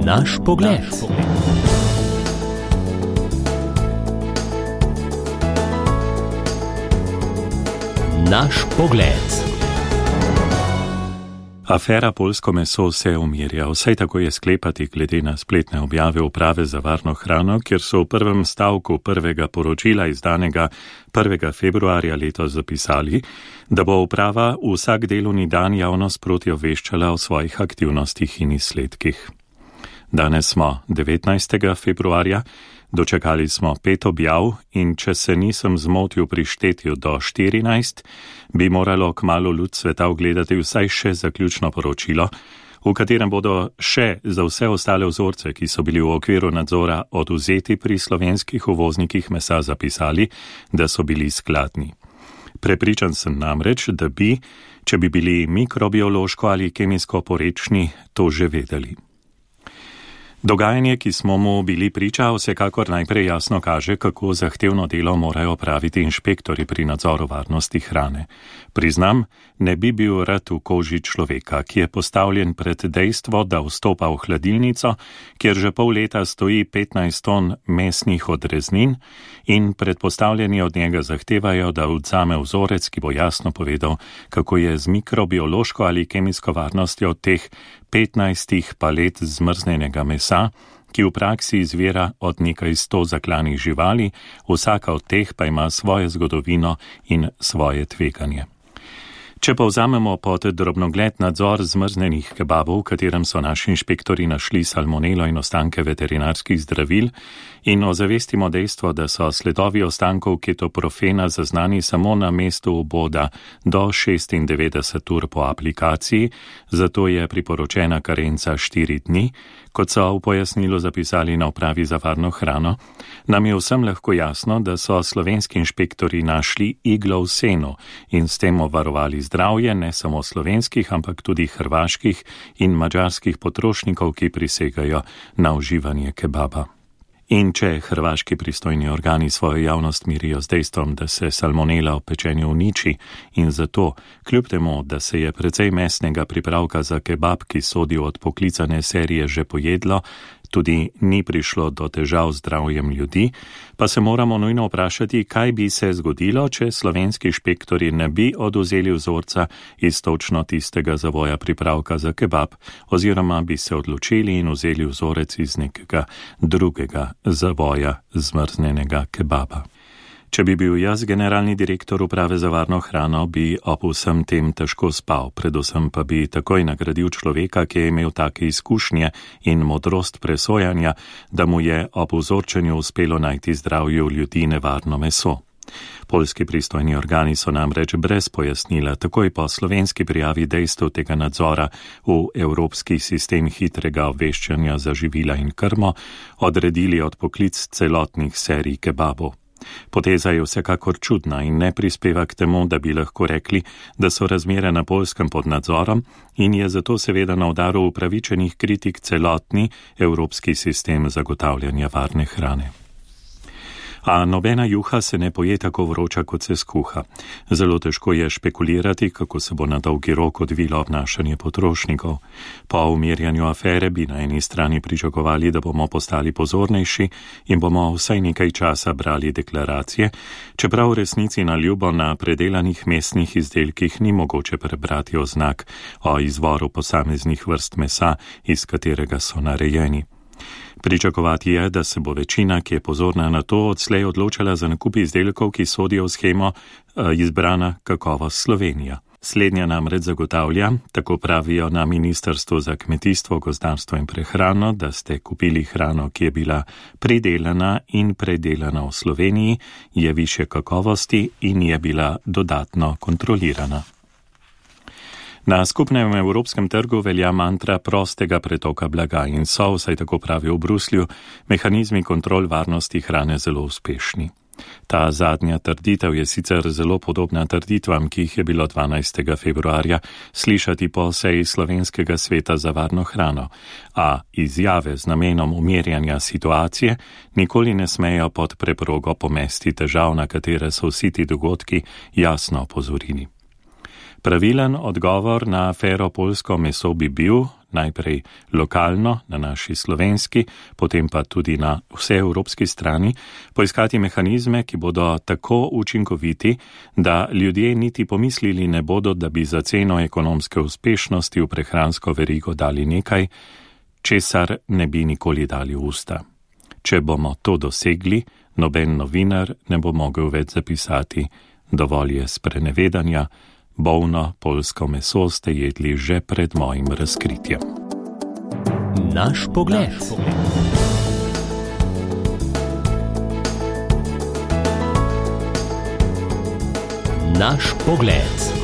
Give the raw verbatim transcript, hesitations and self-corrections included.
Naš pogled. Naš pogled. Afera poljsko meso se umirja, vsaj tako je sklepati glede na spletne objave Uprave za varno hrano, kjer so v prvem stavku prvega poročila izdanega prvega februarja letos zapisali, da bo uprava vsak delovni dan javnost proti obveščala o svojih aktivnostih in izsledkih. Danes smo devetnajstega februarja, dočakali smo pet objav in če se nisem zmotil pri štetju do štirinajst, bi moralo kmalu ljud sveta ogledati vsaj še zaključno poročilo, v katerem bodo še za vse ostale vzorce, ki so bili v okviru nadzora odvzeti pri slovenskih uvoznikih mesa, zapisali, da so bili skladni. Prepričan sem namreč, da bi, če bi bili mikrobiološko ali kemijsko porečni, to že vedeli. Dogajanje, ki smo mu bili priča, vsekakor najprej jasno kaže, kako zahtevno delo morajo opraviti inšpektori pri nadzoru varnosti hrane. Priznam, ne bi bil rad v koži človeka, ki je postavljen pred dejstvo, da vstopa v hladilnico, kjer že pol leta stoji petnajst ton mesnih odreznin in predpostavljeni od njega zahtevajo, da vzame vzorec, ki bo jasno povedal, kako je z mikrobiološko ali kemijsko varnostjo teh petnajstih palet zmrznjenega mesa, ki v praksi izvira od nekaj sto zaklanih živali, vsaka od teh pa ima svojo zgodovino in svoje tveganje. Če pa vzamemo pod drobnogled nadzor zmrznjenih kebabov, v katerem so naši inšpektori našli salmonelo in ostanke veterinarskih zdravil, in ozavestimo dejstvo, da so sledovi ostankov ketoprofena zaznani samo na mestu vboda do šestindevetdeset ur po aplikaciji, zato je priporočena karenca štiri dni, kot so v pojasnilu zapisali na Upravi za varno hrano, nam je vsem lahko jasno, da so slovenski inšpektori našli iglo v senu in s tem obvarovali zdravje ne samo slovenskih, ampak tudi hrvaških in madžarskih potrošnikov, ki prisegajo na uživanje kebaba. In če hrvaški pristojni organi svojo javnost mirijo z dejstvom, da se salmonela v pečenju uniči in zato, kljub temu, da se je precej mesnega pripravka za kebab, ki sodi od poklicane serije, že pojedlo, tudi ni prišlo do težav z zdravjem ljudi, pa se moramo nujno vprašati, kaj bi se zgodilo, če slovenski inšpektori ne bi odvzeli vzorca iz točno tistega zavoja pripravka za kebab, oziroma bi se odločili in vzeli vzorec iz nekega drugega zavoja zmrznjenega kebaba. Če bi bil jaz generalni direktor Uprave za varno hrano, bi ob vsem tem težko spal, predvsem pa bi takoj nagradil človeka, ki je imel take izkušnje in modrost presojanja, da mu je ob vzorčenju uspelo najti zdravju ljudi nevarno meso. Poljski pristojni organi so namreč brez pojasnila takoj po slovenski prijavi dejstev tega nadzora v evropski sistem hitrega obveščanja za živila in krmo odredili odpoklic celotnih serij kebabov. Poteza je vsekakor čudna in ne prispeva k temu, da bi lahko rekli, da so razmere na Poljskem pod nadzorom in je zato seveda na udaru upravičenih kritik celotni evropski sistem zagotavljanja varne hrane. A nobena juha se ne poje tako vroča, kot se skuha. Zelo težko je špekulirati, kako se bo na dolgi rok odvilo obnašanje potrošnikov. Po umirjanju afere bi na eni strani pričakovali, da bomo postali pozornejši in bomo vsaj nekaj časa brali deklaracije, čeprav v resnici na ljubo na predelanih mesnih izdelkih ni mogoče prebrati oznak o izvoru posameznih vrst mesa, iz katerega so narejeni. Pričakovati je, da se bo večina, ki je pozorna na to, odslej odločala za nakup izdelkov, ki sodijo v shemo izbrana kakovost Slovenija. Slednja namreč zagotavlja, tako pravijo na Ministrstvu za kmetijstvo, gozdarstvo in prehrano, da ste kupili hrano, ki je bila pridelana in predelana v Sloveniji, je višje kakovosti in je bila dodatno kontrolirana. Na skupnem evropskem trgu velja mantra prostega pretoka blaga in so, vsaj tako pravijo v Bruslju, mehanizmi kontrol varnosti hrane zelo uspešni. Ta zadnja trditev je sicer zelo podobna trditvam, ki jih je bilo dvanajstega februarja slišati po seji Slovenskega sveta za varno hrano, a izjave z namenom umirjanja situacije nikoli ne smejo pod preprogo pomesti težav, na katere so vsi ti dogodki jasno opozorili. Pravilen odgovor na afero poljsko meso bi bil, najprej lokalno, na naši slovenski, potem pa tudi na vseevropski strani, poiskati mehanizme, ki bodo tako učinkoviti, da ljudje niti pomislili ne bodo, da bi za ceno ekonomske uspešnosti v prehransko verigo dali nekaj, česar ne bi nikoli dali v usta. Če bomo to dosegli, noben novinar ne bo mogel več zapisati: dovolj je sprenevedanja, bolno poljsko meso ste jedli že pred mojim razkritjem. Naš pogled. Naš pogled.